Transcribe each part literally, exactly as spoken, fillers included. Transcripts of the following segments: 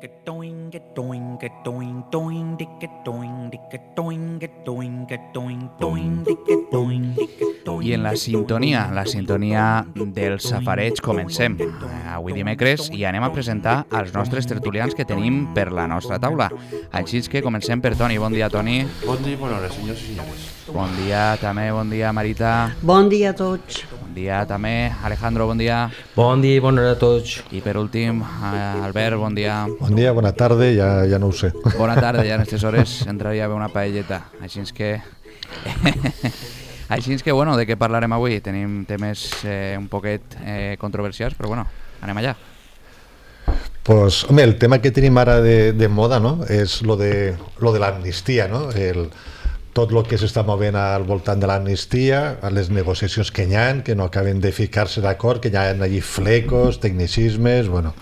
I en la sintonia, la sintonia del safareig, comencem. Avui dimecres i anem a presentar els nostres tertulians que tenim per la nostra taula. Així que comencem per Toni. Bon dia, Toni. Bon dia i bona hora, senyors i senyores. Bon dia també, bon dia, Marita. Bon dia a tots. Bon dia també, Alejandro, bon dia. Bon dia i bona hora a tots. I per últim, Albert, bon dia. Bon dia, bona tarda, ja, ja no ho sé. Bona tarda, ja en aquestes hores entraria a veure una paelleta. Així que... Així que, bueno, de què parlarem avui? Tenim temes eh, un poquet eh, controversials, però bueno, anem allà. Pues, home, el tema que tenim ara de, de moda, no?, és lo de, lo de l'amnistia, no? El, tot el que s'està movent al voltant de l'amnistia, les negociacions que hi ha, que no acaben de ficar-se d'acord, que hi ha allí flecos, tecnicismes, bueno...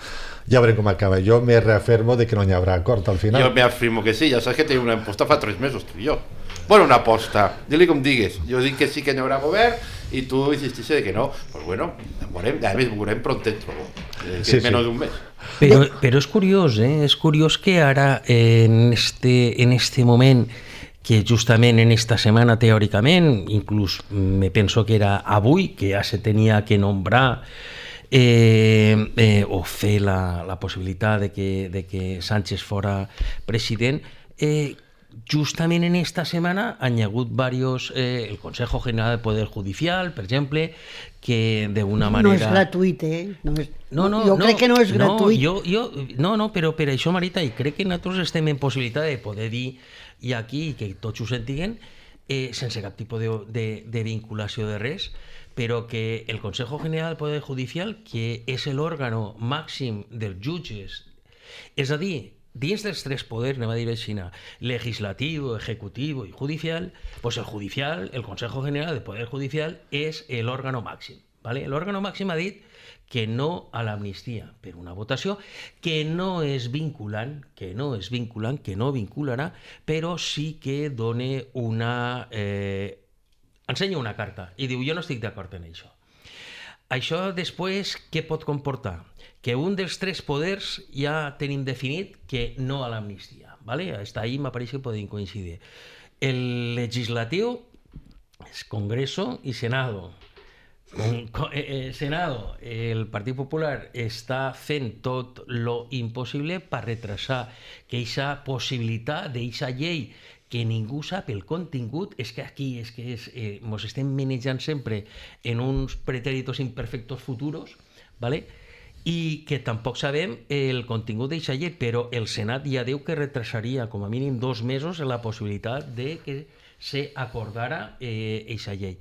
Ja veurem com acaba. Jo me reafirmo de que no hi haurà acord al final. Jo me afirmo que sí, ja saps que tenim una aposta fa tres mesos, tu i jo. Bueno, una aposta, digue com digues. Jo dic que sí que hi haurà govern i tu insistixes de que no. Pues bueno, veurem, a més veurem prontet, trobo. Que sí, és menys sí. d'un mes. Però, però és curiós, eh? És curiós que ara, en este, en este moment, que justament en esta setmana, teòricament, inclús me penso que era avui, que ja se tenia que nombrar Eh, eh, o fer la, la possibilitat de que, de que Sánchez fora president, eh, justament en esta setmana han hi hagut varios, eh, el Consejo General del Poder Judicial, per exemple, que d'una manera... No és gratuït, eh? No és... No, no, jo no, crec que no és gratuït. No, jo, jo, no, no, però per això, Marita, i crec que nosaltres estem en possibilitat de poder dir i aquí, que tots ho sentiguen, eh, sense cap tipus de, de, de vinculació de res, però que el Consejo General del Poder Judicial, que és l'òrgano màxim dels jutges, és a dir, dins dels tres poders, anem a dir així, legislativo, ejecutivo i judicial, pues el judicial, el Consejo General del Poder Judicial és l'òrgano màxim. ¿Vale? L'òrgano màxim ha dit que no a l'amnistia per una votació que no és vinculant, que no és vinculant, que no vincularà, però sí que dona una... Eh, ensenya una carta i diu jo no estic d'acord en això. Això després què pot comportar? Que un dels tres poders ja tenim definit que no a l'amnistia. ¿Vale? Hasta ahí m'apareix que podem coincidir. El legislatiu és Congreso i Senado. Con, con, eh, Senado, el Partit Popular està fent tot lo impossible per retrasar que aquesta possibilitat d'aquesta llei que ningú sap el contingut, és que aquí és que és, eh, mos estem manejant sempre en uns pretéritos imperfectos futuros, ¿vale? I que tampoc sabem el contingut d'aquesta llei, però el Senat ja diu que retrasaria com a mínim dos mesos la possibilitat de que se acordara aquesta eh, llei.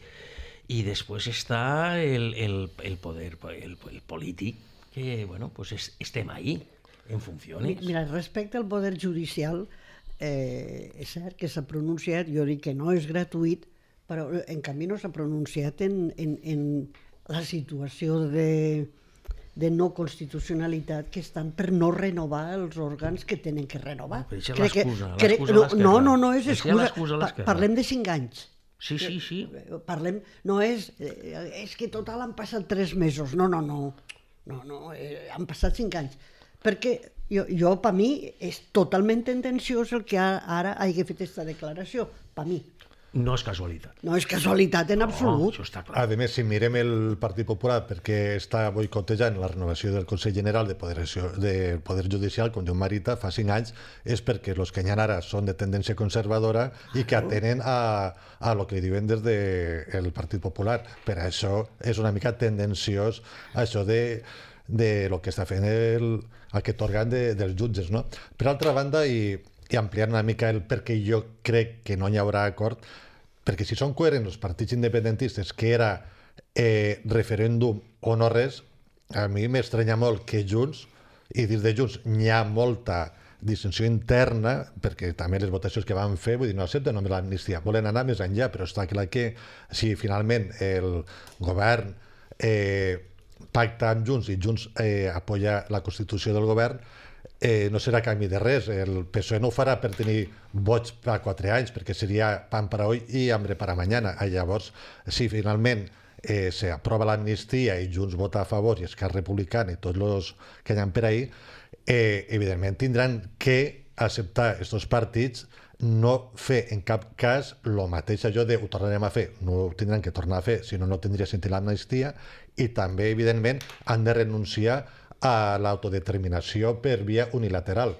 I després està el, el, el poder el, el polític, que bueno, pues es, estem ahí, en funcions. Mira, respecte al poder judicial, Eh, és cert que s'ha pronunciat, jo dic que no és gratuït, però en canvi no s'ha pronunciat en, en, en la situació de, de no constitucionalitat que estan per no renovar els òrgans que tenen que renovar. Però això és l'excusa, crec, l'excusa no, a l'esquerra. no, no, no és excusa, pa, parlem de cinc anys. Sí, sí, sí. Parlem, no és, és que total han passat tres mesos, no, no, no, no, no eh, han passat cinc anys, perquè Jo, jo per mi, és totalment tendenciós el que ara hagi fet aquesta declaració, per mi. No és casualitat. No és casualitat en absolut. No, això està clar. A més, si mirem el Partit Popular, perquè està boicotejant la renovació del Consell General de Poder, del Poder Judicial, com diu Marita, fa cinc anys, és perquè els que hi ha ara són de tendència conservadora i que atenen a, a lo que diuen des del Partit Popular. Per això és una mica tendenciós això de, de lo que està fent el... aquest òrgan de, dels jutges, no? Per altra banda, i, i ampliant una mica el perquè jo crec que no hi haurà acord, perquè si són coherents els partits independentistes que era eh, referèndum o no res, a mi m'estranya molt que Junts, i dins de Junts hi ha molta dissensió interna, perquè també les votacions que van fer, vull dir, no accepten només l'amnistia, volen anar més enllà, però està clar que si finalment el govern eh, pacta amb Junts i Junts eh, apoya la Constitució del govern, eh, no serà canvi de res. El P S O E no ho farà per tenir vots per quatre anys, perquè seria pan para hoy i hambre para mañana. I llavors, si finalment eh, s'aprova l'amnistia i Junts vota a favor i Esquerra Republicana i tots els que hi ha per ahí, eh, evidentment tindran que acceptar aquests partits, no fer en cap cas el mateix allò de ho tornarem a fer, no ho tindran que tornar a fer, si no, no tindria sentit l'amnistia, i també, evidentment, han de renunciar a l'autodeterminació per via unilateral.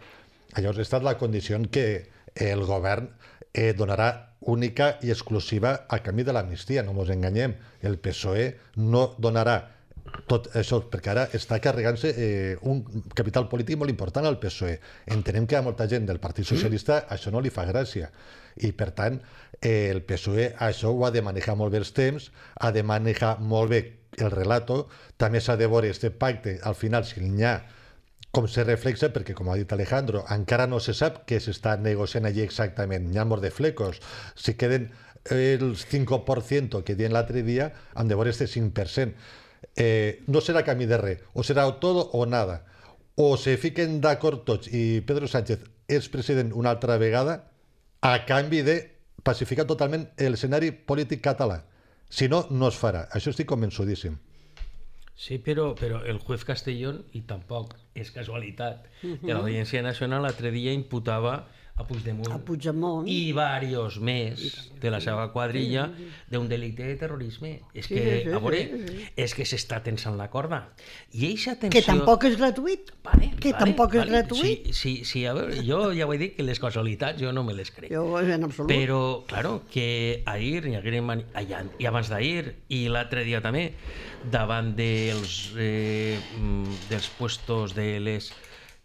Llavors, ha estat la condició en què el govern eh, donarà única i exclusiva a canvi de l'amnistia, no ens enganyem. El P S O E no donarà tot això, perquè ara està carregant-se eh, un capital polític molt important al P S O E. Entenem que a molta gent del Partit Socialista mm. això no li fa gràcia. I, per tant, eh, el P S O E això ho ha de manejar molt bé els temps, ha de manejar molt bé el relato, també s'ha de veure aquest pacte, al final, si n'hi ha, com se reflexa, perquè, com ha dit Alejandro, encara no se sap què s'està negociant allí exactament, n'hi ha molts de flecos. Si queden el cinc per cent que diuen l'altre dia, han de veure aquest cinc per cent. Eh, no serà camí de res, o serà tot o nada. O se fiquen d'acord tots i Pedro Sánchez és president una altra vegada a canvi de pacificar totalment l'escenari polític català. Si no, no es farà. Això estic convençudíssim. Sí, pero, pero el juez Castellón, y tampoco es casualidad, uh-huh. que la Audiencia Nacional l'altre dia imputava a Puigdemont, a Puigdemont i varios més de la seva quadrilla sí, sí, sí. d'un delicte de terrorisme. És sí, que, sí, sí, a veure, sí, sí. és que s'està tensant la corda. I eixa tensió... Que tampoc és gratuït. Vale, que vale, tampoc vale. és gratuït. Sí, sí, sí, a veure, jo ja ho he dit que les casualitats jo no me les crec. Jo en absolut. Però, claro, que ahir, i abans d'ahir, i l'altre dia també, davant dels, eh, dels puestos de les...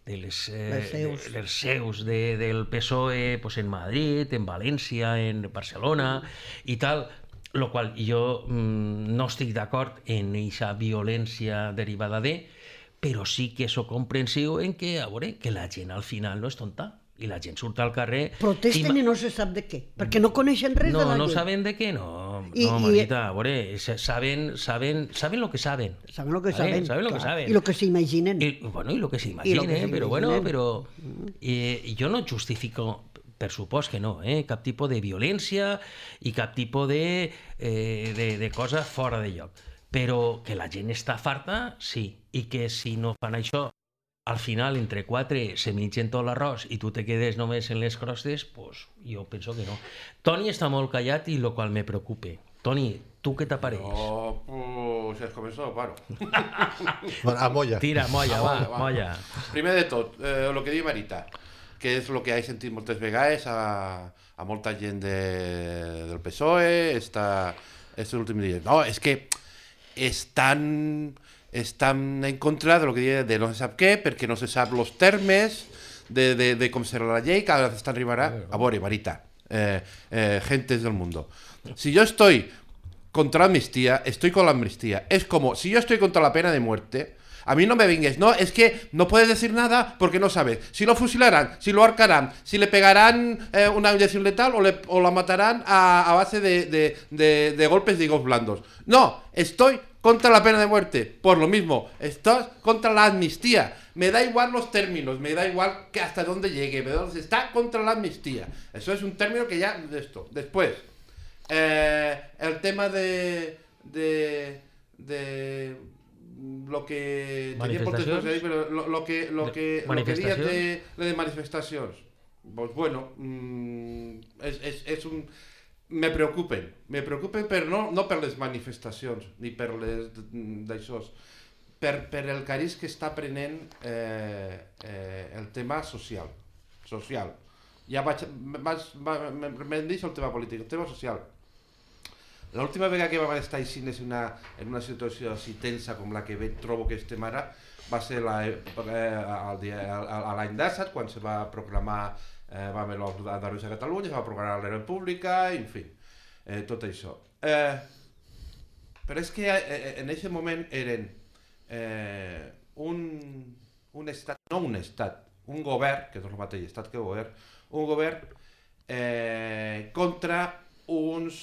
de les, eh, les seus, de, les seus de, del P S O E pues en Madrid, en València, en Barcelona i tal, lo qual jo mm, no estic d'acord en aquesta violència derivada de, però sí que sóc comprensiu en que, a veure, que la gent al final no és tonta i la gent surt al carrer... Protesten i, i no se sap de què, perquè no coneixen res no, de la llei. No, no saben de què, no, I, no, Marita, a veure, saben, saben, saben lo que saben. Saben lo que ¿vale? saben, saben lo clar. que saben. I lo que s'imaginen. I, bueno, i lo que s'imaginen, però bueno, però... Eh, jo no justifico, per supost que no, eh, cap tipus de violència i cap tipus de, eh, de, de cosa fora de lloc. Però que la gent està farta, sí, i que si no fan això al final, entre quatre, se mengen tot l'arròs i tu te quedes només en les crostes, pues jo penso que no. Toni està molt callat i lo qual me preocupa. Toni, tu què t'apareix? No, pues si has començat, paro. Bueno, a molla. Tira, molla, va, va. molla. Primer de tot, eh, el que diu Marita, que és el que he sentit moltes vegades a, a molta gent de, del P S O E, esta, estos últims dies. No, és que estan... estan en contra de lo que diu de no se sap què, perquè no se sap els termes de, de, de com serà la llei, cada vez estan arribarà. A veure, Marita, eh, eh, gentes del mundo. Si yo estoy contra la amnistía, estoy con la amnistía. Es como, si yo estoy contra la pena de muerte, a mí no me vengues, no, es que no puedes decir nada porque no sabes. Si lo fusilarán, si lo ahorcarán, si le pegarán eh, una inyección letal o, le, o la matarán a, a base de, de, de, de golpes de higos blandos. No, estoy contra la pena de muerte, por lo mismo, estás contra la amnistía. Me da igual los términos, me da igual que hasta dónde llegue, me da, está contra la amnistía. Eso es un término que ya de esto. Después, eh, el tema de, de, de lo que tenía moltes coses ahí, pero lo, lo que lo que lo que dies de, de manifestacions, pues bueno, mmm, és, és, és un me preocupen, me preocupen però no, no per les manifestacions ni per les d'això, per, per el cariz que està prenent eh, eh, el tema social social ja vaig, m'hem dit el tema polític, el tema social. L'última vegada que vam estar així en una, en una situació així tensa com la que trobo que estem ara va ser la, eh, l'any passat quan se va proclamar eh, va haver l'Andalusia a Catalunya, se va proclamar la República, en fi, eh, tot això. Eh, però és que eh, en aquest moment eren eh, un, un estat, no un estat, un govern, que és el mateix estat que govern, un govern eh, contra uns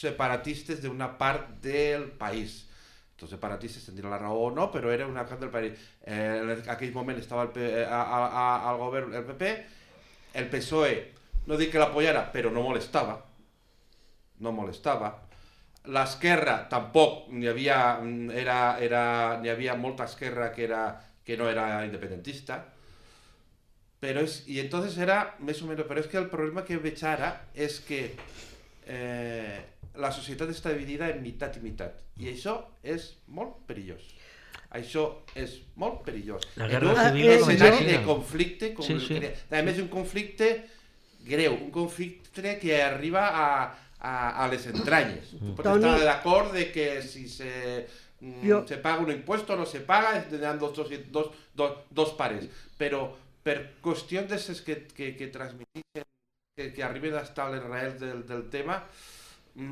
separatistes d'una part del país. Els separatistes tindran la raó o no, però era una part del país. Eh, en aquell moment estava el, eh, a, a, al govern el P P, el P S O E, no dic que l'apoyara, però no molestava, no molestava. L'esquerra tampoc, n'hi havia, era, era, n'hi havia molta esquerra que era que no era independentista. Pero es, y entonces era més o menos, pero es que el problema que veig ara és que eh, la societat està dividida en meitat i meitat, i això és molt perillós. Això és molt perillós. La en guerra un civil va començar escenari així. de conflicte, com Sí, el sí. que- a més un conflicte greu, un conflicte que arriba a, a, a les entranyes. Tu pots Toni- estar d'acord de que si se, mm, Jo- se paga un impuesto o no se paga, tindran dos, dos, dos, dos, dos pares, però per qüestions d'aquestes que, que, que transmetixen, que, que arriben hasta les raels del, del tema. Mm,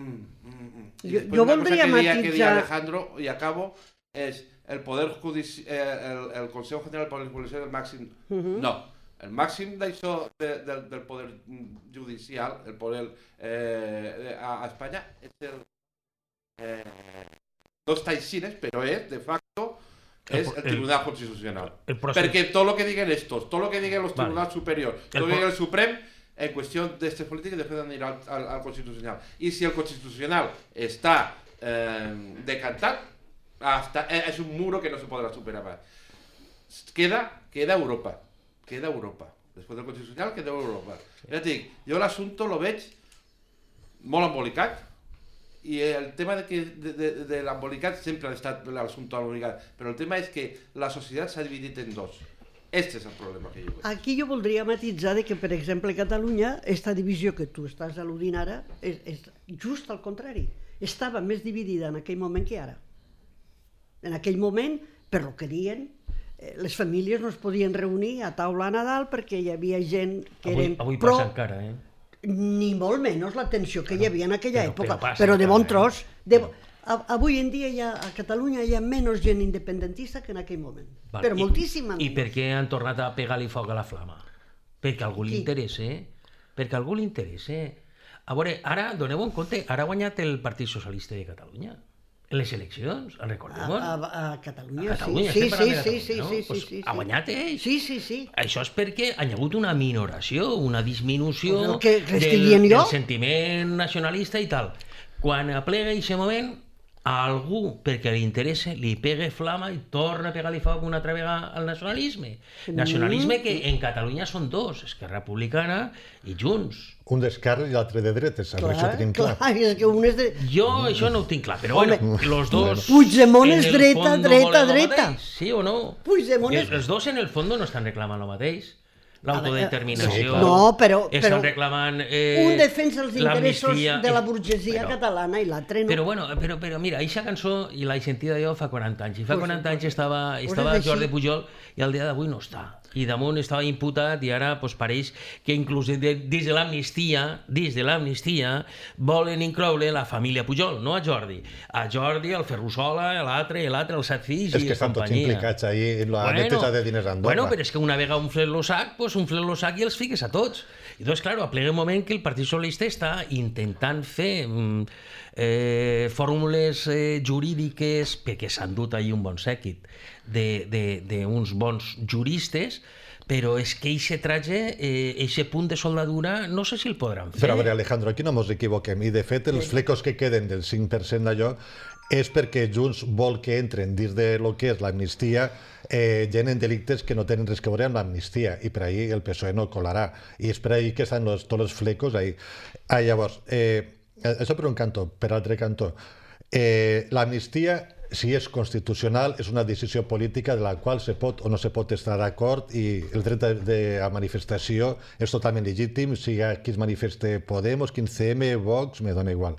mm, mm. I Jo- després jo una voldria cosa que deia, que deia matisar- Alejandro, i acabo, és el poder judicial, eh, el, el Consejo General de Policía del màxim. Mhm. No, el màxim d'això de, del, del poder judicial, el poder eh, a, a Espanya, és el... Eh, no està així, però és, de facto, El és po- el el- Tribunal Constitucional. El procés. Perquè tot el que diguen estos, tot el que diguen los Vale. tribunals superiors, El tot el que po- diga el Suprem, en qüestió d'aquestes polítiques després d'anir al, al, al Constitucional. I si el Constitucional està eh, decantat, hasta, eh, és un muro que no se podrà superar mai. Queda, queda Europa, queda Europa. Després del Constitucional queda Europa. Ja et dic, jo l'assumpte lo veig molt embolicat, i el tema de, que, de, de, de l'embolicat sempre ha estat l'assumpte embolicat, però el tema és que la societat s'ha dividit en dos. Este és el problema que jo veig. Aquí jo voldria matitzar de que, per exemple, a Catalunya, esta divisió que tu estàs al·ludint ara, és, és just al contrari. Estava més dividida en aquell moment que ara. En aquell moment, per lo que diuen, eh, les famílies no es podien reunir a taula a Nadal perquè hi havia gent que Avui, eren avui pro, passa encara, eh? ni molt menys la tensió que hi havia en aquella però- època, però passa però de bon encara, tros. De, a, avui en dia hi ha, a Catalunya hi ha menys gent independentista que en aquell moment. Val, Però i- moltíssima I menys. per què han tornat a pegar-li foc a la flama? Perquè a algú li Qui? interessa. Perquè a algú li interessa. A veure, ara, doneu en compte, ara ha guanyat el Partit Socialista de Catalunya. En les eleccions, en A, recordem? a, a Catalunya, A Catalunya, sí. estem Sí, parlant sí, de sí, Catalunya, sí, no? sí, Pues sí, sí. ha guanyat ell. Sí, sí, sí. Això és perquè hi ha hagut una minoració, una disminució El que- que estic del, dient jo. del sentiment nacionalista i tal. Quan aplega aquest moment, a algú, perquè li interessa, li pega flama i torna a pegar-li foc una altra vegada al nacionalisme. Nacionalisme que en Catalunya són dos, Esquerra Republicana i Junts. Un d'esquerra i l'altre de dretes, Clar, això ho tenim clar. clar, és que un és de... Jo això no ho tinc clar, però Home, bueno, los dos... Puigdemont en és el dreta, fondo dreta, volen lo dreta. mateix, sí o no? Puigdemont és- Els, els dos en el fondo no estan reclamant el mateix. L'autodeterminació. Sí, clar. No, però- Estan però reclamant eh, Un defensa els interessos l'amnistia. de la burgesia Però- catalana i l'altre no. Però bueno, però, però mira, aquesta cançó i la he sentida jo fa quaranta anys. I fa Pues- quaranta anys estava, pues estava és així. Jordi Pujol i al dia d'avui no està. I damunt estava imputat i ara pues, pareix que inclús de, dins de l'amnistia, dins de l'amnistia, volen incloure la família Pujol, no a Jordi. A Jordi, el Ferrusola, l'altre, l'altre, els set fills És i que estan tots companyia. implicats ahí en la neteja de diners a Andorra. Bueno, però és que una vegada un flet lo sac, pues un flet lo sac i els fiques a tots. I doncs, clar, aplega un moment que el Partit Socialista està intentant fer mm, eh, fórmules eh, jurídiques, perquè s'han dut ahir un bon sèquit d'uns bons juristes, però és que eixe traje, eh, eixe punt de soldadura, no sé si el podran fer. Però a veure, Alejandro, aquí no ens equivoquem. I, de fet, els flecos que queden del cinc per cent d'allò és perquè Junts vol que entren dins de lo que és l'amnistia eh, gent en delictes que no tenen res que veure amb l'amnistia, i per ahir el P S O E no colarà. I és per ahir que estan los, tots els flecos ahí. Ah, llavors, eh, això per un cantó. Per altre cantó, eh, l'amnistia, si és constitucional, és una decisió política de la qual se pot o no se pot estar d'acord, i el dret de, de a manifestació és totalment legítim, sigui qui es manifeste Podemos, quinze eme, Vox, me dona igual.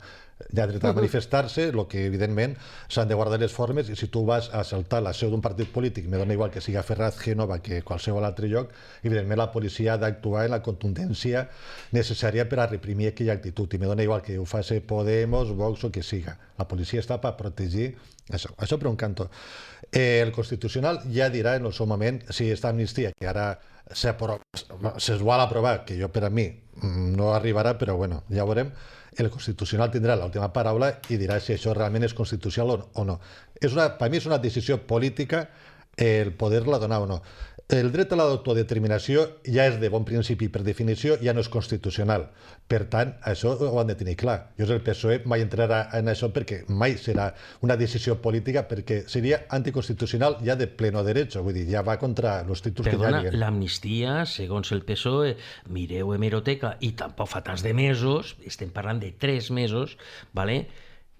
Hi ha dret a manifestar-se, el que evidentment s'han de guardar les formes, i si tu vas a assaltar la seu d'un partit polític, me dona igual que siga Ferraz, Génova, que qualsevol altre lloc, evidentment la policia ha d'actuar en la contundència necessària per a reprimir aquella actitud, i me dona igual que ho faci Podemos, Vox o que siga. La policia està per protegir això. Això per un cantó. Eh, el Constitucional ja dirà en el seu moment si aquesta amnistia, que ara se'ls vol aprovar, que jo per a mi no arribarà, però bueno, ja ho veurem, el Constitucional tindrà l'última paraula i dirà si això realment és constitucional o no. És una, per mi és una decisió política el poder-la donar o no. el dret a l'autodeterminació ja és de bon principi, per definició, ja no és constitucional. Per tant, això ho han de tenir clar. Jo, el P S O E mai entrarà en això perquè mai serà una decisió política, perquè seria anticonstitucional ja de pleno derecho, vull dir, ja va contra els títols que ja Perdona, hi ha. l'amnistia, segons el P S O E, mireu hemeroteca, i tampoc fa tants de mesos, estem parlant de tres mesos, ¿vale?,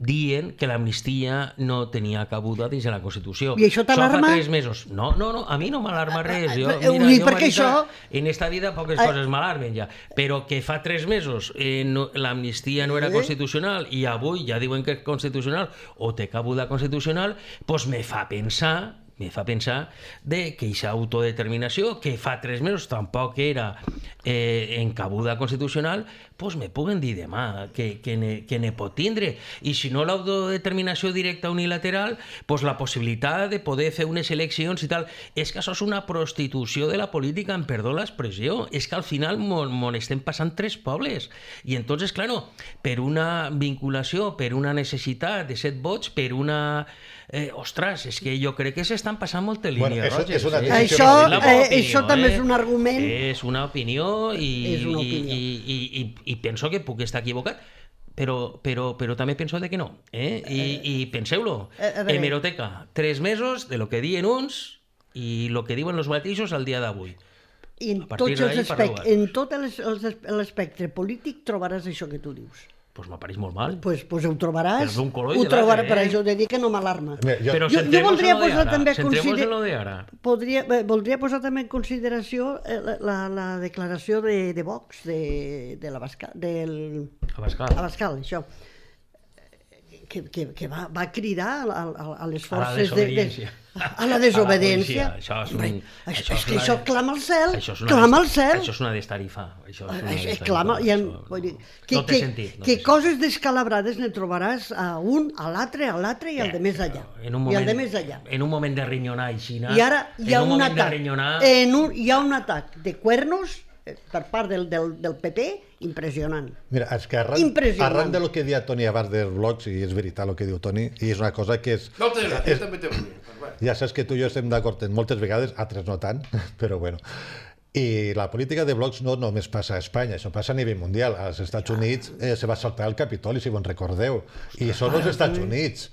dient que l'amnistia no tenia cabuda dins de la Constitució. I això t'alarma? Fa tres mesos. No, no, no, a mi no m'alarma res. Jo, Ho mira, dic jo, perquè Marita, això- en esta vida poques Eh. coses m'alarmen ja. Però que fa tres mesos eh, no, l'amnistia no era Eh. constitucional i avui ja diuen que és constitucional o té cabuda constitucional, doncs me fa pensar me fa pensar de que aquesta autodeterminació, que fa tres mesos tampoc era eh, en cabuda constitucional, doncs me puguen dir demà que, que, ne, que ne pot tindre. I si no l'autodeterminació directa unilateral, doncs la possibilitat de poder fer unes eleccions i tal. És que això és una prostitució de la política, em perdó l'expressió. És que al final m'on estem passant tres pobles. I entonces, claro, per una vinculació, per una necessitat de set vots, per una... Eh, ostres, és que jo crec que s'estan passant moltes Bueno, línies això roges. és una eh? decisió Això, És la meva eh, opinió, això també eh? és un argument. És una opinió i, És una opinió. i, i, i, i penso que puc estar equivocat, però, però, però també penso de que no. Eh? I, i penseu-lo, Eh, a veure. hemeroteca, tres mesos de lo que diuen uns i lo que diuen els mateixos al dia d'avui. I en, A partir tots els d'ahí aspect, parleu. en tot els- els- l'espectre polític trobaràs això que tu dius. Doncs m'apareix molt mal. Pues, pues ho trobaràs, Però d'un color i ho de trobaràs, l'altre, per eh? això he de dir que no m'alarma. Mira, jo- Però Jo- jo centrem-nos voldria en lo de posar ara. també a Centrem-nos consider- en lo de ara. Podria, eh, voldria posar també en consideració eh, la, la, la declaració de, de Vox, de, de la Bascal, del... Abascal. Abascal, això, que, que, que va, va cridar a, a, a les A la forces de, de, desobediència. a la desobediència. A la policia. Això és un- Hombre, això això, és és que una- això clama al cel, Això és una clama al des- cel. Això és una destarifa. Això és una Això, destarifa. clama, i en, Això vull dir, no- que, no té que, sentit. No que té coses descalabrades ne trobaràs a un, a l'altre, a l'altre i al de més allà. En un I al moment, de més allà. En un moment de rinyonar i xina, I ara hi ha en un, un, moment atac, de rinyonar, en un, hi ha un atac de cuernos eh, per part del, del, del P P impressionant. Mira, és que arran, Impressionant. arran de lo que deia Toni abans dels blogs, i és veritat el que diu Toni, i és una cosa que és... Moltes gràcies, és també t'ho vull. Però bueno. ja saps que tu i jo estem d'acord en moltes vegades, altres no tant, però bueno. I la política de blocs no només passa a Espanya, això passa a nivell mundial. Als Estats Units eh, se va saltar el Capitoli, si vos en recordeu. I són els Estats Units.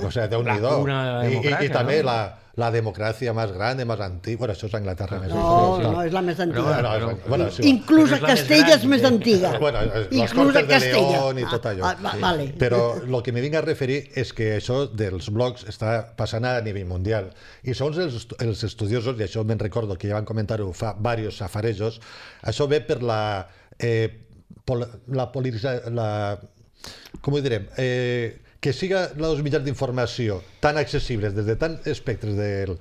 O sigui, Déu-n'hi-do. La cuna I, i, democràcia, I també no? la, la democràcia més gran, més antiga... Bueno, això és Anglaterra més. No, sí. no, és la més Però antiga. No, Però- és- bueno, sí, Inclús Però a és la més Castella gran, és més eh? antiga. Bueno, les Inclús Cortes a de Castella. León i tot allò. Ah, ah, va- vale. Però el que me vinc a referir és que això dels blogs està passant a nivell mundial. I segons els, estu- els estudiosos, i això me'n recordo que ja van comentar-ho fa diversos safarejos, això ve per la... Eh, pol, la polarització... La, com ho direm? Eh, que siga els mitjans d'informació tan accessibles des de tants espectres del,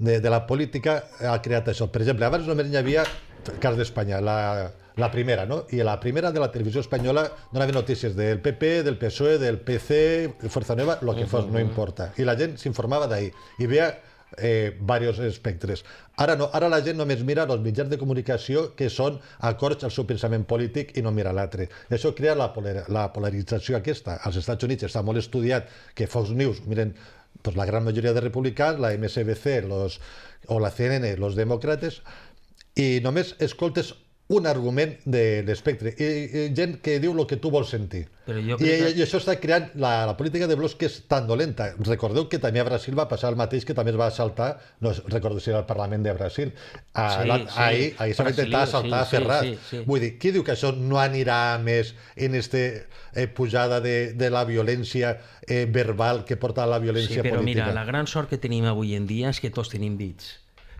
de, de la política ha creat això. Per exemple, abans només hi havia cas d'Espanya, la, la primera, no? I la primera de la televisió espanyola donava notícies del P P, del P S O E, del P C, Fuerza Nueva, el que fos, no importa. I la gent s'informava d'ahir i veia eh, diversos espectres. Ara no, ara la gent només mira els mitjans de comunicació que són acords al seu pensament polític i no mira l'altre. Això crea la, polar, la polarització aquesta. Als Estats Units està molt estudiat que Fox News miren pues, la gran majoria de republicans, la M S B C los, o la C N N, los demòcrates, i només escoltes un argument de l'espectre i, i gent que diu el que tu vols sentir. Però jo I, crec que- i això està creant la, la política de blocs que és tan dolenta. Recordeu que també a Brasil va passar el mateix, que també es va assaltar, no recordo si era el Parlament de Brasil, a, Sí, la, sí, ahir, ahir se va intentar Brasil, assaltar sí, Ferraz. sí, sí, sí. Vull dir, qui diu que això no anirà més en este eh, pujada de, de la violència eh, verbal que porta a la Sí, violència però política? mira, la gran sort que tenim avui en dia és que tots tenim dits.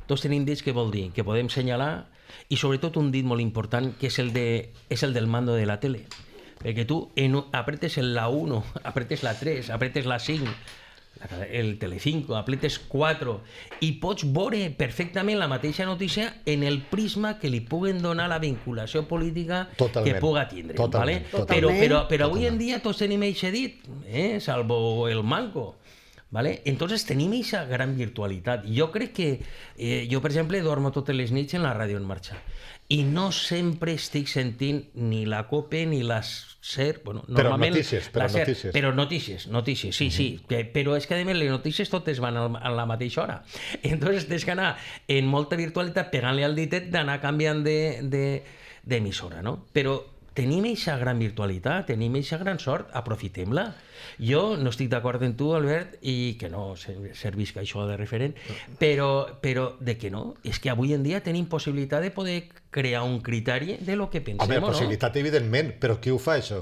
Tots tenim dits, què vol dir? Que podem senyalar, i sobretot un dit molt important, que és el, de, és el del mando de la tele. Perquè tu en, apretes el la uno, apretes la tres, apretes la cinc, la- el Telecinco, apretes quatre, i pots veure perfectament la mateixa notícia en el prisma que li puguen donar la vinculació política Totalment. que puga tindre. Totalment, ¿vale? totalment. Però, però, però avui en dia tots tenim eixe dit, eh? Salvo el manco. ¿vale? Entonces tenim aquesta gran virtualitat. Jo crec que, eh, jo per exemple dormo totes les nits en la ràdio en marxa i no sempre estic sentint ni la COPE ni la SER, bueno, però normalment notícies, però la SER, notícies. però notícies, notícies, sí, sí, que, però és que a més les notícies totes van al, a la mateixa hora. Entonces tens que anar en molta virtualitat pegant-li al ditet d'anar canviant de, de, d'emissora, no? Però tenim aquesta gran virtualitat, tenim aquesta gran sort, aprofitem-la. Jo no estic d'acord amb tu, Albert, i que no servisc això de referent, però, però de que no, és que avui en dia tenim possibilitat de poder crear un criteri de lo que pensem, Home, o no? possibilitat, evidentment, però qui ho fa, això?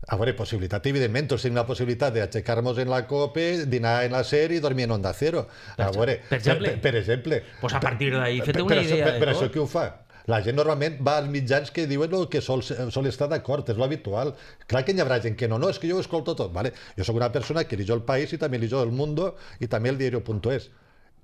A veure, possibilitat, evidentment, tots tenim la possibilitat d'aixecar-nos en la COPE, dinar en la SER i dormir en Onda Cero. A veure, per exemple? Per, per exemple. Pues a partir d'ahí, Per- feta per una això- idea per, de per tot. això qui ho fa? La gent normalment va als mitjans que diuen el que sol, sol estar d'acord, és lo habitual. Clar que hi haurà gent que no, no, és que jo ho escolto tot. Vale? Jo sóc una persona que llegeixo El País i també llegeixo El Mundo i també el diario punto es.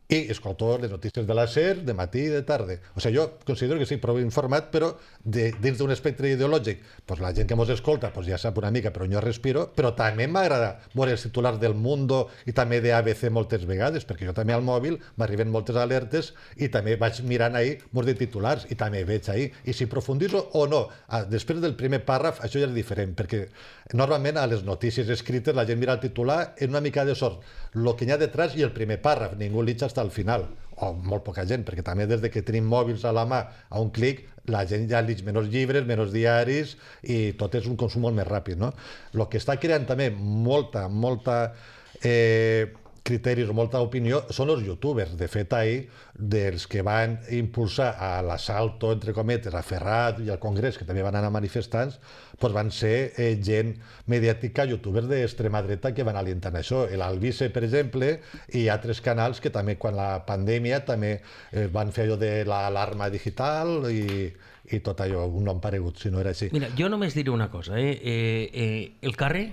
I escolto les notícies de la SER de matí i de tarda. O sigui, jo considero que sí, prou informat, però de, dins d'un espectre ideològic, pues la gent que mos escolta pues ja sap una mica per on jo respiro, però també m'agrada veure els titulars del Mundo i també de A B C moltes vegades, perquè jo també al mòbil m'arriben moltes alertes i també vaig mirant ahí molts de titulars i també veig ahí. I si profundiso o no, ah, després del primer pàrraf, això ja és diferent, perquè normalment a les notícies escrites la gent mira el titular en una mica de sort, el que hi ha detrás i el primer pàrraf, ningú li al final, o molt poca gent, perquè també des de que tenim mòbils a la mà a un clic, la gent ja llig menys llibres, menys diaris i tot és un consum molt més ràpid, no? El que està creant també molta, molta eh, criteris o molta opinió són els youtubers. De fet, ahir, dels que van impulsar a l'assalto, entre cometes, a Ferrat i al Congrés, que també van anar manifestants, doncs van ser eh, gent mediàtica, youtubers d'extrema dreta que van alientant això. L'Albise, per exemple, i altres canals que també, quan la pandèmia, també eh, van fer allò de l'alarma digital i, i tot allò, un nom paregut, si no era així. Mira, jo només diré una cosa, eh? Eh, eh, el carrer,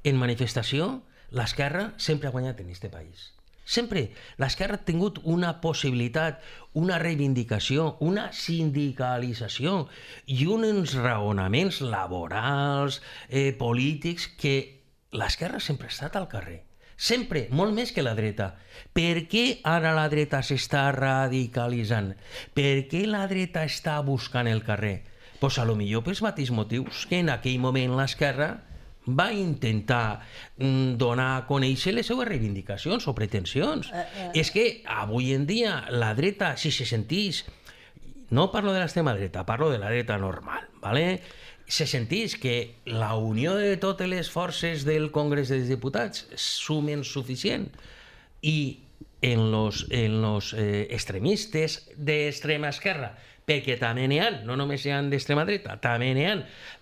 en manifestació, l'esquerra sempre ha guanyat en aquest país. Sempre. L'esquerra ha tingut una possibilitat, una reivindicació, una sindicalització i uns raonaments laborals, eh, polítics, que l'esquerra sempre ha estat al carrer. Sempre, molt més que la dreta. Per què ara la dreta s'està radicalitzant? Per què la dreta està buscant el carrer? Pues a lo millor pels mateixos motius que en aquell moment l'esquerra va intentar mm, donar a conèixer les seues reivindicacions o pretensions. Uh, uh. És que avui en dia la dreta, si se sentís, no parlo de l'extrema dreta, parlo de la dreta normal, ¿vale? Se sentís que la unió de totes les forces del Congrés dels Diputats sumen suficient i en los, en los eh, extremistes d'extrema esquerra, perquè també n'hi ha, no només hi ha d'extrema dreta, també n'hi ha,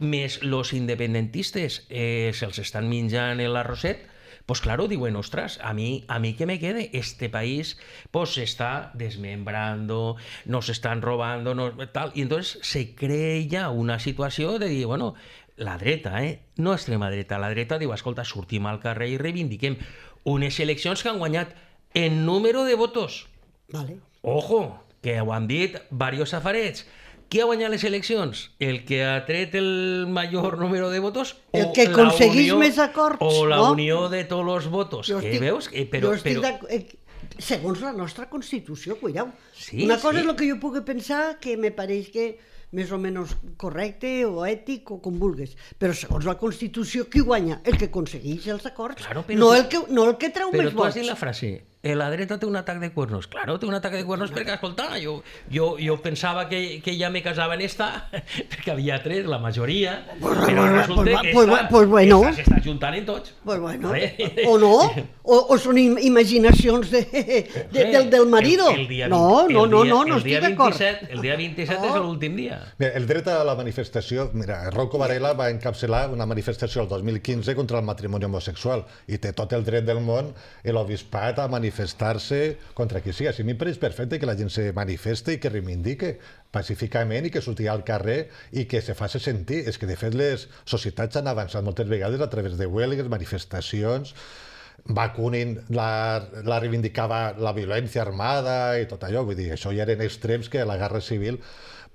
més els independentistes eh, se'ls estan menjant l'arrosset, pues claro, diuen, ostras, a mí, a mí que me quede, este país pues se está desmembrando, nos están robando, no, tal, y entonces se crea ja una situació de dir, bueno, la dreta, eh? no extrema dreta, la dreta diu, escolta, sortim al carrer i reivindiquem unes eleccions que han guanyat en número de votos. Vale. Ojo, que ho han dit diversos safarets. Qui ha guanyat les eleccions? El que ha tret el major número de votos? El que aconseguís unió, més acords, o la no? unió de tots els votos. Jo Que estic, veus? Eh, però, jo estic però... eh, segons la nostra Constitució, cuidao. Sí, Una cosa sí. és el que jo pugui pensar que me pareix que més o menys correcte o ètic o com vulguis, però segons la Constitució qui guanya? El que aconsegueix els acords, Claro, però no, tu- el que, no el que treu Però més tu has vots. dit la frase, eh, la dreta té un atac de cuernos. Claro, té un atac de cuernos perquè, escolta, jo, jo, jo pensava que, que ja me casava en esta, perquè havia tres, la majoria, Pues, però pues, resulta pues, que pues, esta, pues, bueno. esta s'està juntant en tots. Pues bueno, Vale? o no, o, o són im- imaginacions de, de, del, del marido. El, el dia no, vint- no, el no, dia- no, no el dia estic d'acord. vint-i-set El dia vint-i-set No. és l'últim dia. Mira, el dret a la manifestació, mira, Rocco Varela va encapçalar una manifestació el dos mil quinze contra el matrimoni homosexual i té tot el dret del món l'obispat a manifestar-se contra qui sigui. A mi em pareix perfecte que la gent se manifeste i que reivindique pacíficament i que surti al carrer i que se faci sentir. És que, de fet, les societats han avançat moltes vegades a través de huelgues, manifestacions, Bakunin la, la reivindicava la violència armada i tot allò, vull dir, això ja eren extrems que a la Guerra Civil,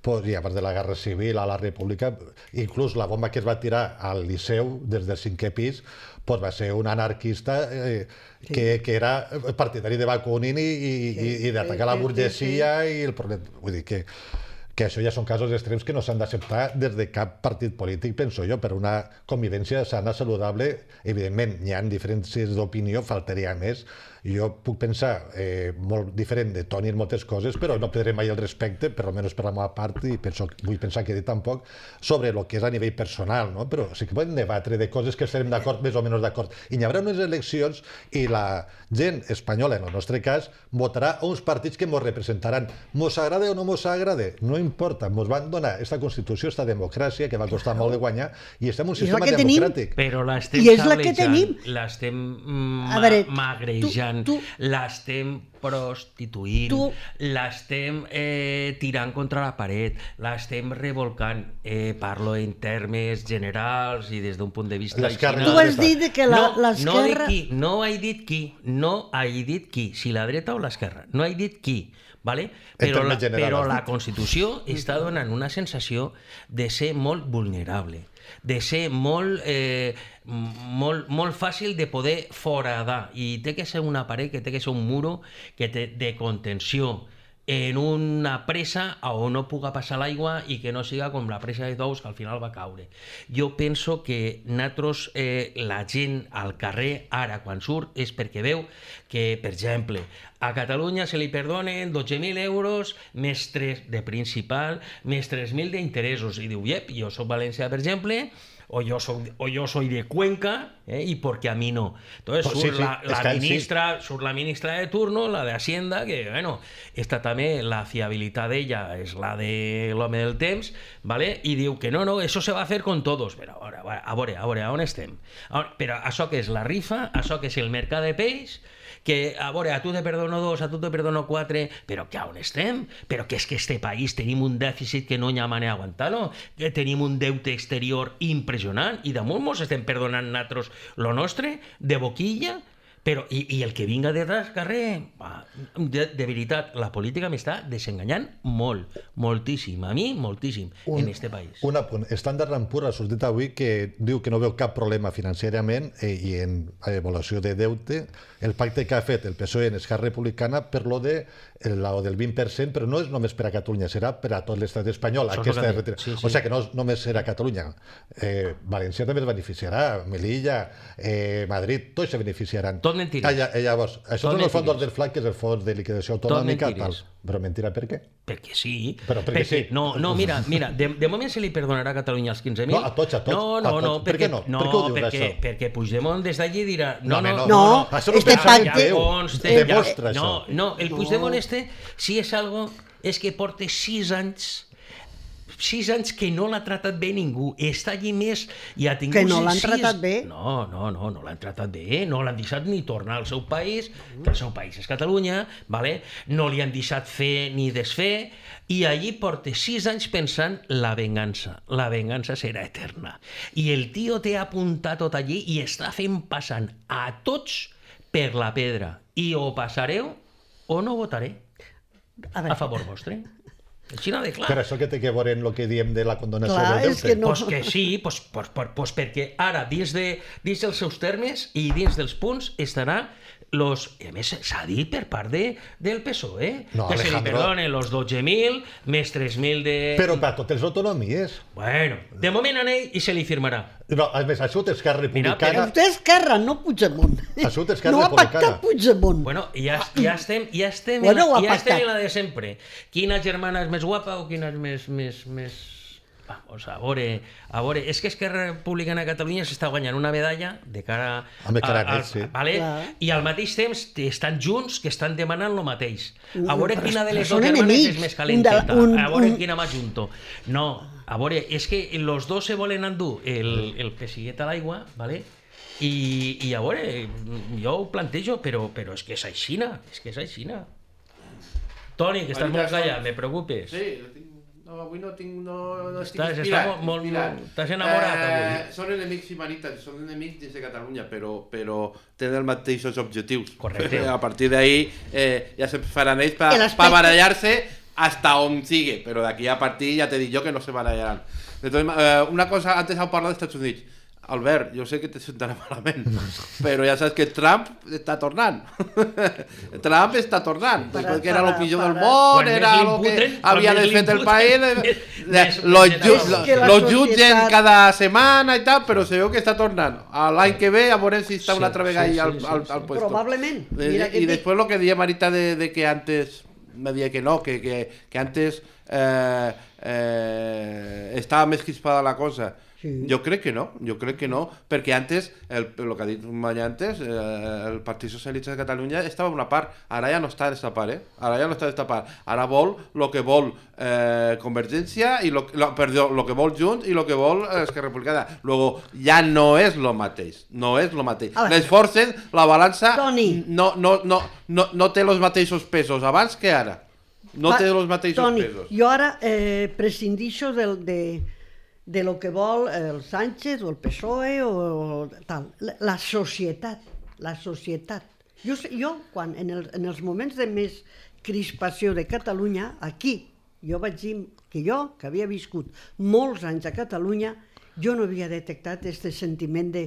pues, i a part de la Guerra Civil, a la República, inclús la bomba que es va tirar al Liceu des del cinquè pis, pues, va ser un anarquista eh, sí. que, que era partidari de Bakunin i, i, sí. i, i d'atacar la burgesia sí, sí. i el prolet... Vull dir que que això ja són casos extrems que no s'han d'acceptar des de cap partit polític, penso jo, per una convivència sana, saludable. Evidentment, hi ha diferències d'opinió, faltaria més. Jo puc pensar eh, molt diferent de Toni en moltes coses, però no perdré mai el respecte, per almenys per la meva part, i penso, vull pensar que he dit tampoc, sobre el que és a nivell personal, no? Però sí que podem debatre de coses que estarem d'acord, més o menys d'acord. I hi haurà unes eleccions i la gent espanyola, en el nostre cas, votarà a uns partits que ens representaran. Mos agrade o no mos agrade, no importa, mos van donar aquesta Constitució, aquesta democràcia, que va costar molt de guanyar, i estem en un sistema democràtic. Però l'estem I és la que tenim. L'estem ma veure, magrejant, tu, tu, l'estem prostituint, tu, l'estem eh, tirant contra la paret, l'estem revolcant. Eh, parlo en termes generals i des d'un punt de vista... Tu has dit que l'esquerra... No, no, dic qui, no he dit qui, no he dit qui, si la dreta o l'esquerra, no he dit qui. Vale? Però, la, però la Constitució està donant una sensació de ser molt vulnerable, de ser molt, eh, molt, molt fàcil de poder foradar, i té que ser una paret, que té que ser un muro que té de contenció en una presa on no puga passar l'aigua i que no siga com la presa de Tous, que al final va caure. Jo penso que nosaltres, eh, la gent al carrer ara quan surt és perquè veu que, per exemple, a Catalunya se li perdonen dotze mil euros més tres de principal, més tres mil d'interessos. I diu, yep, jo soc València, per exemple, o yo soy, o yo soy de Cuenca, ¿eh? Y porque a mí no. Entonces pues sur, sí, sí, la, la, que ministra, sí. sur la ministra de turno, la de Hacienda, que, bueno, esta també, la fiabilitat d'ella és la de l'home del temps, ¿vale? I diu que no, no, eso se va a hacer con todos. Però a veure, a veure, a veure, on estem? Però això que és la rifa, això que és el mercat de peix, que, a veure, a tu te perdono dos, a tu te perdono quatre, però que on estem? Però que és que este país tenim un dèficit que no hi ha manera d'aguantar-lo, que tenim un deute exterior impressionant, i damunt mos estem perdonant nosaltres lo nostre, de boquilla, però, i, i el que vinga detrás, carrer, va, de, de veritat, la política m'està desenganyant molt, moltíssim, a mi, moltíssim, un, en este país. Un apunt. Estàndard and Poor's ha sortit avui que diu que no veu cap problema financierament eh, i en evaluació de deute, el pacte que ha fet el P S O E en Esquerra Republicana per lo de la del vint per cent, però no és només per a Catalunya, serà per a tot l'estat espanyol. Aquesta retira... sí, sí. O sigui que no només serà Catalunya. Eh, València també es beneficiarà, Melilla, eh, Madrid, tots se beneficiaran. Tot mentires. Ah, ja, llavors, això tot és el fons del F L A C, que és el fons de liquidació autonòmica, tal. Però mentira, per què? Perquè sí. Però perquè, perquè sí. No, no, mira, mira, de, de moment se li perdonarà a Catalunya els quinze mil. No, a tots, a tots. No, no, a tots. no, per perquè, què no? no, per què ho dius, perquè, això? perquè Puigdemont des d'allí dirà... No, no, no, no, no, no este pacte... Ja conste, demostra ja, això. No, no, el Puigdemont este, si és algo, és que porta sis anys sis anys que no l'ha tratat bé ningú, està allí més i ha tingut... Que no l'han sis... tratat bé? No, no, no, no l'han tratat bé, no l'han deixat ni tornar al seu país, que el seu país és Catalunya, vale? No li han deixat fer ni desfer, i allí porta sis anys pensant la vengança, la vengança serà eterna. I el tio té apuntat tot allí i està fent passant a tots per la pedra. I o passareu o no votaré a, a favor vostre. Xina de clar. Però això que té que veure en el que diem de la condonació clar, del és deute? que no. Pues que sí, pues, pues, pues, pues perquè ara, dins, de, dins dels seus termes i dins dels punts, estarà los... I a més, s'ha dit per part de, del P S O E, no, que Alejandro. se li perdonen los dotze mil més tres mil de... Però per a totes les autonomies. Bueno, de moment en ell i se li firmarà. No, a més, ha sigut Esquerra Mira, Republicana... Vostè és Esquerra, no Puigdemont. Ha sigut Esquerra no ha Republicana. pactat Puigdemont. Bueno, ja, ja estem, ja estem, Bueno, en, ho ha ja estem pactat. en la de sempre. Quina germana és més guapa o quina és més... més, més... Vamos, a veure, a veure, és que Esquerra Republicana de Catalunya s'està guanyant una medalla de cara Home, cara a, a, net, sí. vale? Clar. I al mateix temps estan junts que estan demanant el mateix. A veure Però quina de les són dues germanes enemics. és més Un calenteta, de- un- a veure un- quina m'ajunto. No, a veure, és que los dos se volen endur el, el pesiguet a l'aigua, vale? I, i a veure, jo ho plantejo, però, però és que és aixina, és que és aixina. Toni, que estàs molt callat, me preocupes. Sí, tinc... No, avui no tinc... No, no estic Estàs, inspirat, està molt, inspirat. molt, t'has enamorat Eh, avui. són enemics i marites, són enemics dins de Catalunya, però, però tenen els mateixos objectius. Correcte. A partir d'ahí eh, ja se faran ells per El pa aspecte- barallar-se hasta on sigue, però d'aquí a partir ja t'he dit jo que no se barallaran. Entonces, eh, una cosa, antes heu parlat dels Estats Units. Albert, jo sé que te sentarà malament, però ja saps que Trump està tornant. Trump està tornant. Para- Després que era el para- pitjor del para- món, Quan era més el que l'imputen, havia quan més desfet el l'imputen, país. més- més Los condenado. que la jutgen societat- cada setmana i tal, però se veu que està tornant. L'any que ve, a veure si està una altra vegada ahí al, al, al puesto. Probablement. Eh, Mira que y te- después lo que decía Marita de, de que antes, me decía que no, que, que, que antes eh, eh, estaba més crispada la cosa. Sí. Jo crec que no, jo crec que no, perquè antes, el, el que ha dit Manya antes, eh, el Partit Socialista de Catalunya estava en una part, ara ja no està d'esta part, eh? Ara ja no està d'esta part, ara vol el que vol eh, Convergència, i lo, lo, perdó, el que vol Junts i el que vol eh, Esquerra Republicana. Luego, ja no és lo mateix, no és lo mateix. A veure. Les forces, la balança Toni. no, no, no, no, no té els mateixos pesos abans que ara. No Va, té els mateixos Toni, pesos. jo ara eh, prescindixo del, de, de lo que vol el Sánchez o el P S O E o, o tal. La, la societat, la societat. Jo, sé- jo quan en, el, en els moments de més crispació de Catalunya, aquí, jo vaig dir que jo, que havia viscut molts anys a Catalunya, jo no havia detectat aquest sentiment de,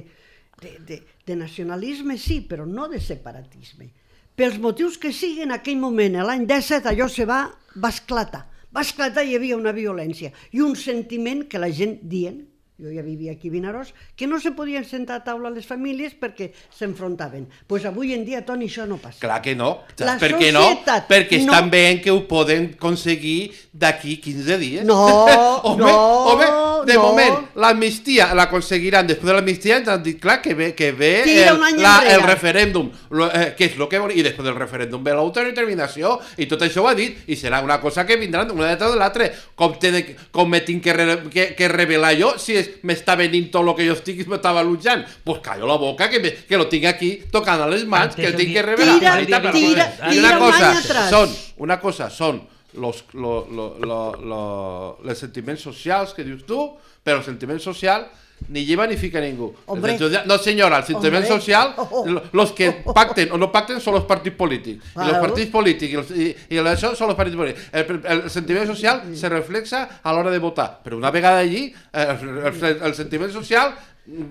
de, de, de nacionalisme, sí, però no de separatisme. Pels motius que siguin, en aquell moment, l'any disset, allò se va, va esclatar. Va esclatar i hi havia una violència i un sentiment que la gent dient, jo ja vivia aquí a Vinaròs, que no se podien sentar a taula les famílies perquè s'enfrontaven. Doncs pues avui en dia, Toni, això no passa. Clar que no. La Per què no? societat Perquè no- estan veient que ho poden aconseguir d'aquí quinze dies. No, home, no, home, de no. moment, l'amnistia l'aconseguiran. Després de l'amnistia ens han dit, clar, que ve, que ve Tira el, un any la, enrere. el referèndum, lo, eh, que és el que vol, i després del referèndum ve l'autodeterminació, i tot això ho ha dit, i serà una cosa que vindran una detrás de l'altra. Com, te de, com me tinc que, re, que, que revelar jo si és- m'està venint tot el que jo estic i m'estava luchant? Pues callo la boca, que, me, que lo tinc aquí tocant a les mans, Antes que el tinc di- que revelar. Tira, Marita, però- tira, I tira una un cosa, any atrás. són, una cosa són los, lo, lo, lo, lo, los sentiments socials que dius tu, però el sentiment social ni lleva ni fica ningú. Hombre. El sentiment- no senyora, el sentiment Hombre. social, Oh, oh. lo- los que pacten o no pacten son los partits polítics. Y los Claro. partits polítics y, los, y, y el- això són los partits polítics. El, el sentiment social se reflexa a l'hora de votar. Però una vegada allí, eh, el, el, el sentiment social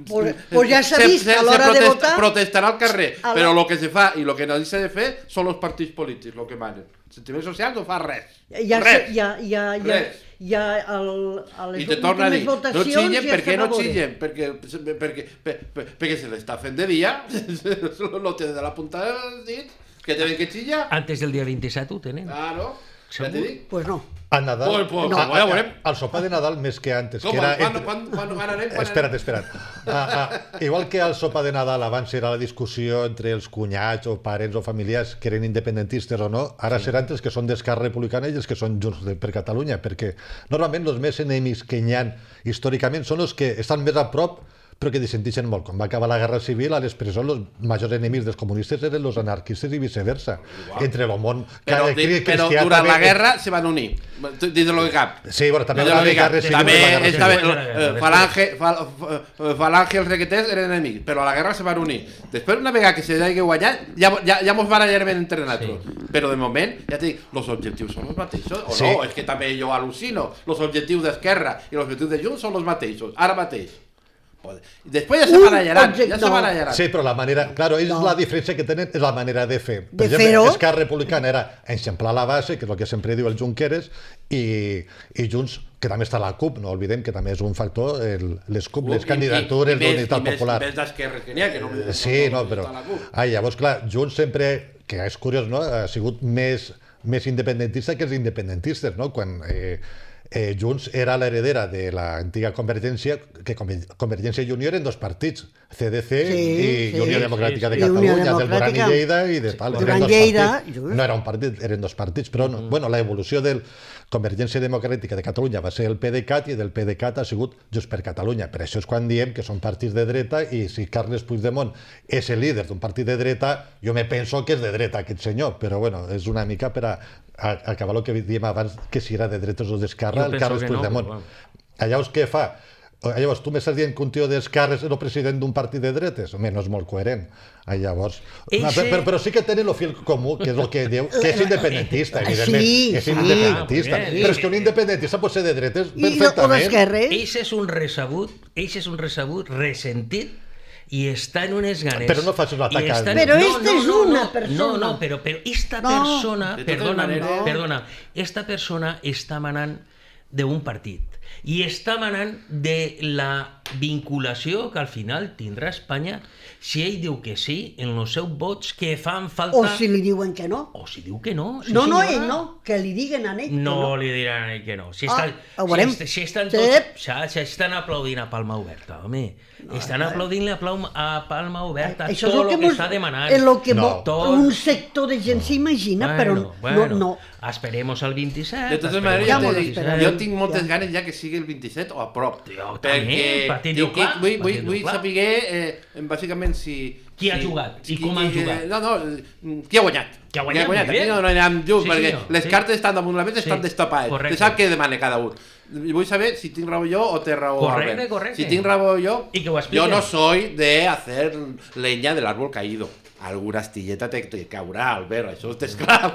Pues- pues ja s'ha se- vist, se- a se l'hora de protesta- votar- protestarà al carrer, A però la- el que se fa i el que no s'ha de fer són els partits polítics, el que manen. El sentiment social no fa res. Ja, res. se- ja, ja, ja, Res. ja el, a les I te torna a dir, últimes no votacions xillen, ja per què se va no veure. xillen? Perquè, perquè, per, per, perquè se l'està fent de dia, lo tenen de la punta dels dits, que tenen que xillar. Antes del dia vint-i-set ho tenen. Claro, ja t'he dit. Pues no. A Nadal, Pues, pues, No. pues, ja veurem. al sopar de Nadal més que antes, Com, que era... quan, entre- quan, quan, quan anem? Quan Espera't, anem? espera't. Ah, ah, igual que al sopar de Nadal abans era la discussió entre els cunyats o parents o familiars que eren independentistes o no, ara sí. seran els que són d'Esquerra Republicana i els que són Junts de, per Catalunya, perquè normalment els més enemics que hi ha històricament són els que estan més a prop però que dissentixen molt. Quan va acabar la Guerra Civil, a les presons els majors enemics dels comunistes eren els anarquistes i viceversa. Entre el món Però, ca- di- cri- però cristià durant també- la guerra se van unir, dins de lo que cap. Sí, bueno, també Dins de va lo que haver cap. guerra civil. També la guerra estava, civil. eh, Falange, fal, f- Falange i els requeters eren enemics, però a la guerra se van unir. Després, una vegada que se hagi guanyat, ja, ja, ja mos barallarem entre nosaltres. Però de moment, ja t'he dit, els objectius són els mateixos. O Sí. no, és que també jo al·lucino. Els objectius d'Esquerra i els objectius de Junts són els mateixos, ara mateix. Després ja se Un barallaran, objecte- ja se no. barallaran. Sí, però la manera... Claro, ells No. la diferència que tenen és la manera de fer. De Per fer-ho. exemple, Esquerra Republicana era eixamplar la base, que és el que sempre diu el Junqueras, i, i Junts, que també està la CUP, no oblidem que també és un factor, el, les CUP, les I- candidatures i- i més- d'unitat i més- popular. I més d'esquerres que n'hi ha, que no... Sí, no, però... està la CUP. Ah, llavors, clar, Junts sempre, que és curiós, no?, ha sigut més, més independentista que els independentistes, no?, quan... Eh, eh, Junts era l'heredera de l'antiga Convergència, que Conver- Convergència i Unió eren dos partits, C D C Sí, i sí. Unió Democràtica Sí, de sí. I Unió Catalunya, del Duran i Democràtica. Lleida i de tal. Duran eren dos Lleida, partits. just. No era un partit, eren dos partits, però no, bueno, la evolució del... Convergència Democràtica de Catalunya va ser el PDeCAT i del PDeCAT ha sigut Junts per Catalunya. Per això és quan diem que són partits de dreta i si Carles Puigdemont és el líder d'un partit de dreta, jo me penso que és de dreta aquest senyor, però bueno, és una mica per a, a, a acabar el que diem abans, que si era de dretes o d'esquerra, el Carles Puigdemont. No, però... Llavors, què fa? Llavors, tu m'estàs dient que un tio d'esquerres és el president d'un partit de dretes? Home, no és molt coherent. Llavors... Eixe... Però, però sí que tenen el fil comú, que és el que diu, que és independentista, evidentment. Sí, és independentista. Sí. Però és que un independentista pot ser de dretes perfectament. I o d'esquerres. Eixe és un recebut, eixe és un recebut ressentit i està en unes ganes. Però no facis l'atac. En... Però no, esta no, és una no, persona. No, no, però, però esta no. persona, perdona, no. perdona, esta persona està manant d'un partit i està manant de la vinculació que al final tindrà Espanya si ell diu que sí en els seus vots que fan falta... O si li diuen que no. O si diu que no. Sí, no, no, senyora. ell no, que li diguen a ell que no. No li diran a ell que no. Si, ah, està, ho veurem. Si, si estan tots... Sí. Si estan aplaudint a palma oberta, home. No, estan aplaudint a, a palma oberta això tot el que, que està demanant. És el que no. tot... un sector de gent s'imagina, bueno, però bueno, no, no. Esperemos al vint-i-set. De totes maneres, ja dic, jo tinc moltes ja. ganes ja que sigui el vint-i-set o a prop. Jo també, perquè diu, clar, vull, vull, vull saber, eh, bàsicament, si... Qui ha si, jugat i qui, com han jugat. No, no, qui ha guanyat. Qui ha guanyat, qui ha guanyat. Aquí no, no anirem just, sí, perquè senyor, les sí. cartes estan damunt la mesa, estan sí, destapades. Te sap què demana cada un. Vull saber si tinc raó jo o té raó correcte, Albert. Correcte. Si tinc raó jo, jo no soy de hacer leña del árbol caído. Alguna astilleta te, te caurà, Albert, això és clar.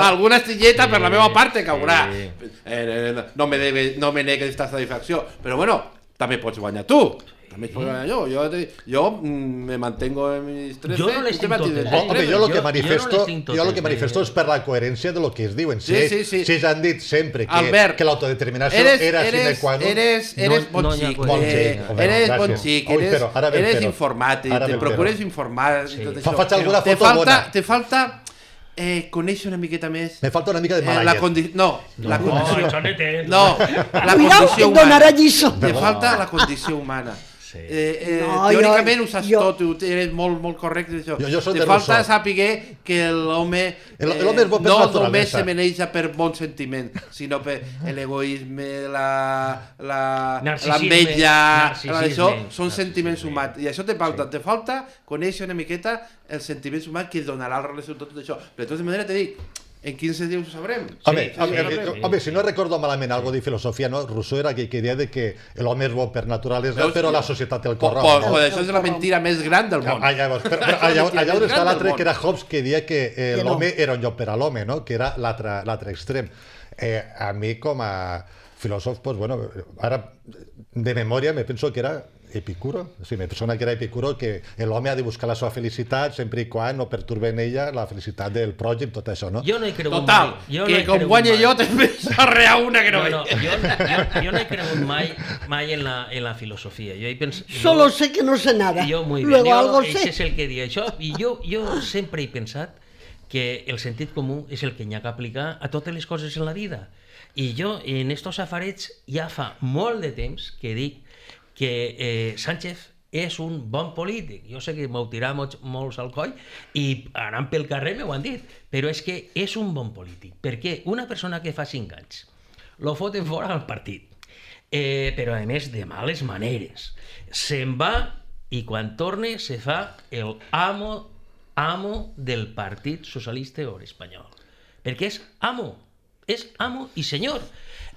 Alguna astilleta sí, per la meva part te caurà. Sí. Eh, no me debe, no me negues esta satisfacció. Però bueno, també pots guanyar tu. També pots guanyar jo. Jo, jo me mantengo en mis tres. Jo no les tinc totes. Home, jo el que manifesto, jo el que manifesto és per la coherència de lo que es diuen. Si, sí, sí, sí. si han dit sempre que, Albert, que l'autodeterminació era sine qua non... Eres, eres bon xic, bon xic, eres bon xic, eres, eres informàtic, te procures informar... Sí. Faig alguna foto te falta, bona. Te falta eh, conèixer una miqueta més... Me falta una mica de malallet. Eh, la condi... No, no, la condició... No, la condició humana. Te falta la condició humana. Sí. Eh, eh, no, teòricament jo, ho saps jo, tot, eres molt, molt correcte això. Jo, jo Te falta saber que l'home eh, no només se maneja per bon sentiment, sinó per l'egoisme, la l'enveja, això són sentiments humans. I això te falta, te falta conèixer una miqueta els sentiments humans que donarà la relació tot això. Però de tota manera te dic, en quinze dies ho sabrem. Home, sí, home, sí, home, home, si no recordo malament algo de filosofia, no? Rousseau era aquell que deia de que l'home és bo per naturalesa, però la societat el corromp. Pues, pues això és la mentira més gran del món. Allà on està l'altre, que era Hobbes, que deia que eh, l'home era un lloc per a l'home, no? Que era l'altre extrem. Eh, a mi, com a filòsof, pues, bueno, ara de memòria me penso que era Epicuro, sí, me persona que era Epicuro, que l'home ha de buscar la seva felicitat sempre i quan no perturbe en ella la felicitat del pròxim, tot això, no? Jo no he cregut Total, mai. que no com guanya jo també s'arrea una que no, no, no jo, jo, jo no he cregut mai, mai en, la, en la filosofia. Jo he pens... Solo sé que no sé nada. Jo, muy bien. Luego jo, algo sé. Això és el que diu això. I jo, jo sempre he pensat que el sentit comú és el que hi ha que aplicar a totes les coses en la vida. I jo, en estos safarets, ja fa molt de temps que dic que eh, Sánchez és un bon polític. Jo sé que m'ho tirà molts, molts al coll i anant pel carrer m'ho han dit, però és que és un bon polític. Perquè una persona que fa cinc anys lo foten fora del partit, eh, però a més de males maneres, se'n va i quan torne se fa el amo, amo del Partit Socialista Obrer Espanyol. Perquè és amo, és amo i senyor.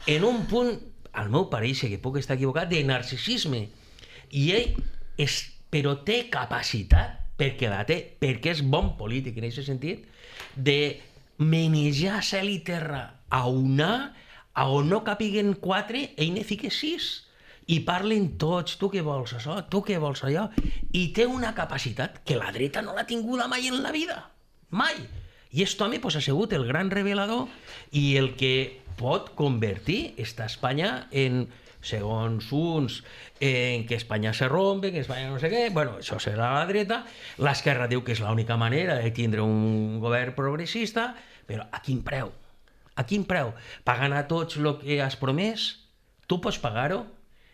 En un punt, al meu pareix, que puc estar equivocat, de narcisisme. I ell, és, però té capacitat, perquè la té, perquè és bon polític en aquest sentit, de manejar cel i terra a una, a on no capiguen quatre, ell ne fica sis. I parlen tots, tu què vols això, tu què vols allò. I té una capacitat que la dreta no l'ha tinguda mai en la vida. Mai. I aquest home pues, ha sigut el gran revelador i el que pot convertir esta Espanya en, segons uns, en que Espanya se rompe, que Espanya no sé què, bueno, això serà la dreta, l'esquerra diu que és l'única manera de tindre un govern progressista, però a quin preu? A quin preu? Pagant a tots el que has promès? Tu pots pagar-ho?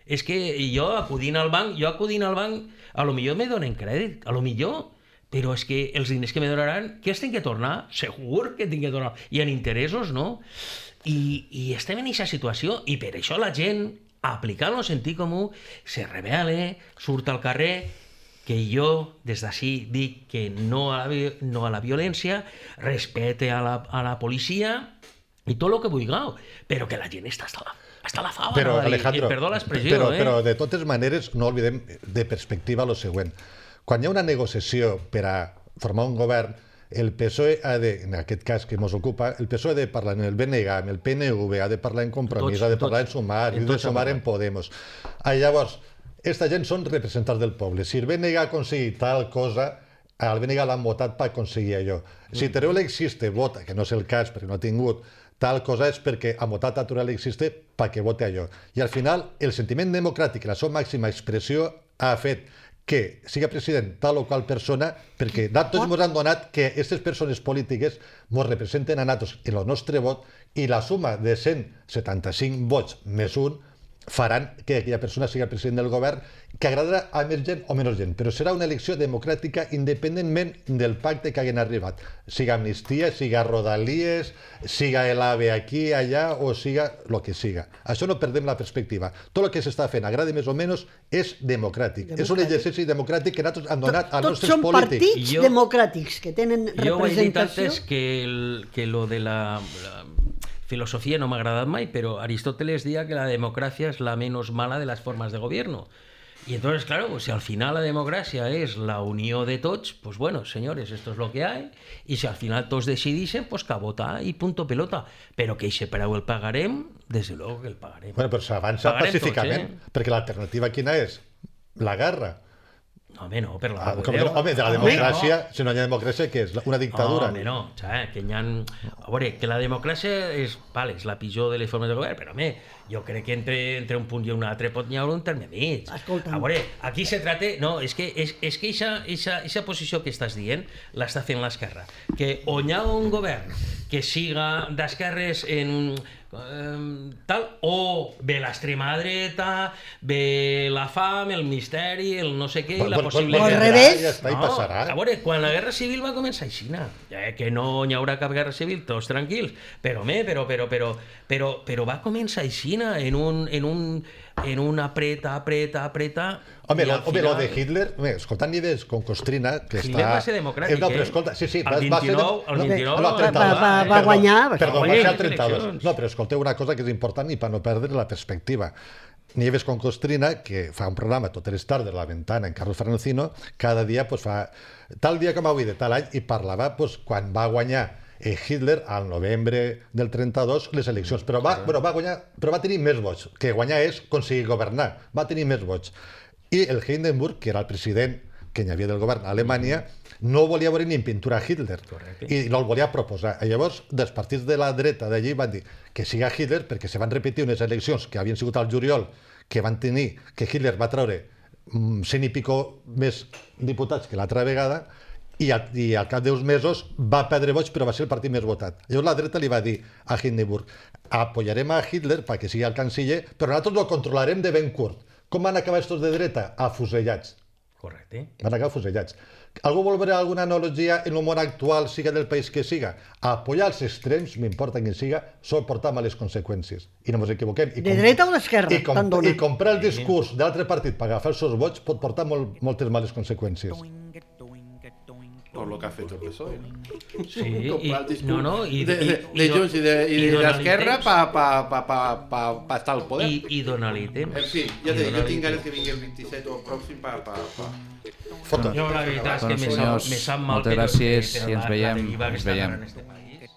És que jo acudint al banc, jo acudint al banc, a lo millor me donen crèdit, a lo millor però és que els diners que me donaran, que els tinc que tornar? Segur que tinc que tornar. I en interessos, no? I, i estem en aquesta situació, i per això la gent, aplicant el sentit comú, se rebel·la, surt al carrer, que jo des d'ací dic que no a la, no a la violència, respecte a la, a la policia i tot el que vulgueu, però que la gent està hasta la, hasta la fava. Però, no? Alejandro, I, perdó l'expressió, però, eh? però de totes maneres no oblidem de perspectiva lo següent. Quan hi ha una negociació per a formar un govern, el P S O E ha de, en aquest cas que ens ocupa, el P S O E ha de parlar en el B N G, amb el P N V, ha de parlar en Compromís, Tots, ha de parlar tots. en Sumar, En i ha de tots sumar ha en Podemos. Ah, llavors, esta gent són representants del poble. Si el B N G ha aconseguit tal cosa, al B N G l'han votat per aconseguir allò. Si Teruel existe vota, que no és el cas perquè no ha tingut tal cosa, és perquè ha votat a Teruel existe perquè vote allò. I al final, el sentiment democràtic, la seva màxima expressió, ha fet que siga president tal o qual persona, perquè tots ens han donat que aquestes persones polítiques ens representen a nosaltres en el nostre vot, i la suma de cent setanta-cinc vots més un faran que aquella persona siga president del govern, que agradarà a més gent o menys gent, però serà una elecció democràtica independentment del pacte que hagin arribat, siga amnistia, siga rodalies, siga el AVE aquí, allà, o siga el que siga. Això no perdem la perspectiva. Tot el que s'està fent, agradi més o menys, és democràtic. democràtic. És un exercici democràtic que nosaltres hem donat als Tots nostres són polítics. partits Jo- democràtics que tenen Jo ho he dit representació. antes que, el, que lo de la, la filosofía no m'ha agradat mai, pero Aristóteles decía que la democracia es la menos mala de las formas de gobierno. Y entonces, claro, pues si al final la democracia es la unión de tots, pues bueno, señores, esto es lo que hay, y si al final tots decidixen, pues que a votar y punto pelota. Pero que ese preu el pagarem, desde luego que el pagarem. Bueno, però s'avança Pagarem pacíficament, tots, perquè l'alternativa quina és? La guerra. No, home, no, per la Ah, mare com de que Déu. no, home, de la Home, democràcia, no. si no hi ha democràcia, què és? Una dictadura? No, home, no. O sea, que hi ha... A veure, que la democràcia és, vale, és la pitjor de les formes de govern, però, home, jo crec que entre, entre un punt i un altre pot n'hi haver un terme mig. Escolta'm. A veure, aquí se trata... No, és que és, és que eixa, eixa, eixa posició que estàs dient l'està fent l'esquerra. Que on hi ha un govern que siga d'esquerres en... Um, tal, o ve l'extrema dreta, ve la fam, el misteri, el no sé què, i la Bueno, possibilitat... al vendrà, revés. Ja està, i passarà. A veure, quan la guerra civil va començar aixina, eh, que no hi haurà cap guerra civil, tots tranquils, però, home, però, però, però, però, però va començar aixina, en un, en un, en un apreta, apreta, apreta... Home, i lo, al home, lo final- de Hitler, home, escoltant Nieves con Costrina, que Hitler està... va ser democràtic, eh? No, però eh? escolta, sí, sí, El va, va ser... vint-i-nou, el no, vint-i-nou no, va- trenta-dos, va- va perdó, guanyar, va Perdó, va guanyar ser el les trenta-dos. eleccions. No, però escolteu una cosa que és important i per no perdre la perspectiva. Nieves con Costrina, que fa un programa totes les tardes a la ventana en Carlos Ferrancino, cada dia pues, fa tal dia com avui de tal any, i parlava pues, quan va guanyar eh, Hitler al novembre del trenta-dos les eleccions, però va, bueno, va guanyar, però va tenir més vots, que guanyar és aconseguir governar, va tenir més vots. I el Hindenburg, que era el president que hi havia del govern a Alemanya, no volia veure ni en pintura a Hitler. Correcte. I no el volia proposar. I llavors, dels partits de la dreta d'allí van dir que siga Hitler, perquè se van repetir unes eleccions que havien sigut al juliol, que van tenir, que Hitler va treure mm, cent i pico més diputats que l'altra vegada, i al, i al cap d'uns mesos va perdre vots, però va ser el partit més votat. Llavors la dreta li va dir a Hindenburg: apoyarem a Hitler perquè sigui el canciller, però nosaltres lo controlarem de ben curt. Com van acabar estos de dreta? Afusellats. Correcte. Van acabar fusellats. Algú vol veure alguna analogia en el món actual, siga del país que siga? Apoyar els extrems, m'importa quin siga, sol portar males conseqüències. I no ens equivoquem. I De com- dreta o d'esquerra, I, com, tant dona. I comprar el discurs de l'altre partit per agafar els seus vots pot portar molt, moltes males conseqüències. Tot el que ha fet el P S O E. No? Sí, i, Comprar el discurs no, no, i, de, de, i, de Junts i de, i i de donar-li l'Esquerra temps. per pa, pa, pa, pa, pa, estar al poder. I, i donar-li temps. En fi, ja I te dic, jo donar-li tinc ganes temps. que vingui el vint-i-set o el pròxim per... Pa, pa. Foto. Jo la veritat és que Bueno, me sap, senyors, me sap mal, moltes però, gràcies però i ens la- la veiem, deriva que ens està veiem. en este país.